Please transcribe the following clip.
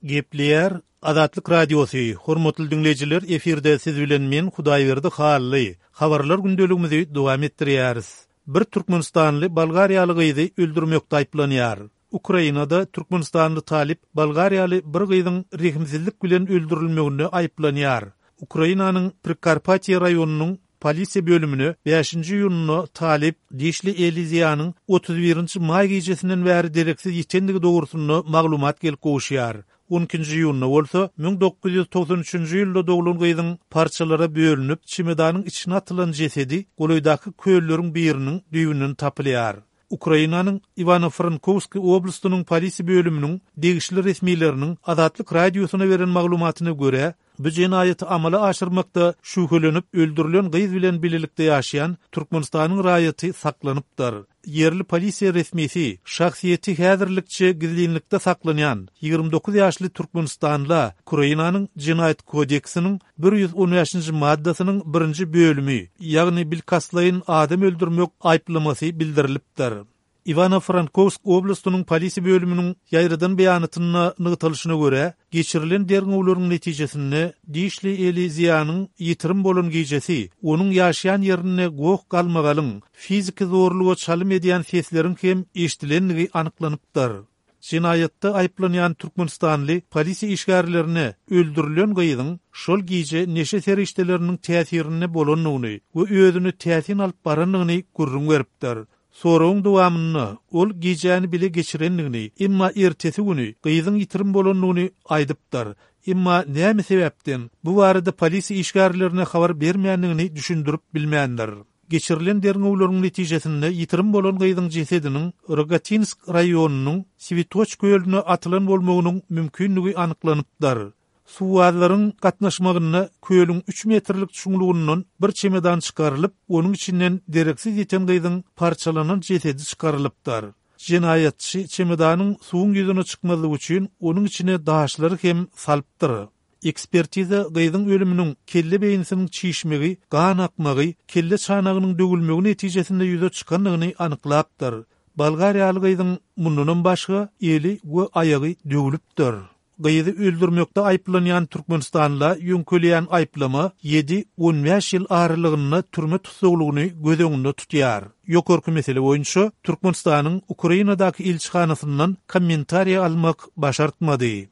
Gepleýär Azatlyk Radiosy, Hormatly diňleýjiler, efirde siz bilen men Hudaýberdi Hally. Habarlar gündeligimizi dowam etdirýäris. Bir türkmenistanly bolgariýaly gyzy öldürmekde aýyplanýar. Ukrainada türkmenistanly talyp bolgariýaly bir gyzyň rehimsizlik bilen öldürilmeginde aýyplanýar. Ukrainanyň Prikarpatiýe raýonynyň polisiýa bölümine bäşinji iýunda talyp Dişli Eliziýanyň 31 nji maý gijesinden bäri dereksiz ýitendigi dogrusynda maglumat gelip gowuşýar. On ikinji iýunda bolsa, 1993-nji ýylda doglan gyzyň parçalara bölünip, çemodanyň içine atylan jesedi golaýdaky kölleriň biriniň düýbünden tapylýar. Ukrainanyň Iwano-Frankowsk oblastynyň polisiýa bölüminiň degişli resmileriniň Azatlyk Radiosyna beren maglumatyna görä, bu jenaýaty amala aşyrmakda şübhelenip öldürilen gyz bilen bilelikde ýaşaýan Türkmenistanyň raýaty saklanypdyr. Ýerli polisiýa resmisi şahsyýeti häzirlikçe gizlinlikde saklanýan 29 ýaşly türkmenistanla Ukrainanyň Jenaýat kodeksiniň 115-nji maddasynyň birinji bölümi, ýagny bilkastlaýyn adam öldürmek aýyplamasy bildirilipdir. Iwano-Frankowsk oblastynyň polisiýa bölüminiň ýaýradan beýanatynda nygtalyşyna görä, geçirilen derňewleriň netijesinde Dişli Eli Ziýanyň ýitirim bolan gijesi onuň ýaşaýan ýerinde goh-galmagalyň, fiziki zorluga çalym edýän sesleriň hem eşidilendigi anyklanypdyr. Jenaýatda aýyplanýan türkmenistanly polisiýa işgärlerine öldürilen gyzyň şol gije neşe serişdeleriniň täsirinde bolandygyny we özüni täsin alyp barandygyny gürrüň beripdir. Soragyň dowamynda ol gijäni bile geçirendigini, emma ertesi güni gyzyň ýitirim bolandygyny aýdypdyr. Emma näme sebäpden bu barada polisiýa işgärlerine habar bermändigini düşündirip bilmändir. Geçirilen derňewleriň netijesinde ýitirim bolan gyzyň jesediniň Rogatinsk raýonynyň Switoç kölüne atylan bolmagynyň mümkindigi anyklanypdyr. Suwbazlaryň gatnaşmagynda kölüň üç metrlik çuňlugyndan bir çemedan çykarylyp, onuň içinden dereksiz ýiten gyzyň parçalanan jesedi çykarylypdyr. Jenaýatçy çemedanyň suwuň ýüzüne çykmazlygy üçin onuň içine daşlary hem salypdyr. Ekspertiza gyzyň ölüminiň kelle beýnisiniň çişmegi, gan akmagy, kelle çanagynyň döwülmegi netijesinde ýüze çykandygyny anyklapdyr. Bolgariýaly gyzyň mundanam başga eli we aýagy döwlüpdir. Gyzy öldürmekde aýyplanýan türkmenistanla ýöňkelýän aýyplama ýedi, 15 ýyl aralygynda türme tussaglygyny göz öňünde tutýar. Ýokarky mesele boýunça Türkmenistanyň Ukrainadaky ilçihanasyndan kommentariýa almak başartmady.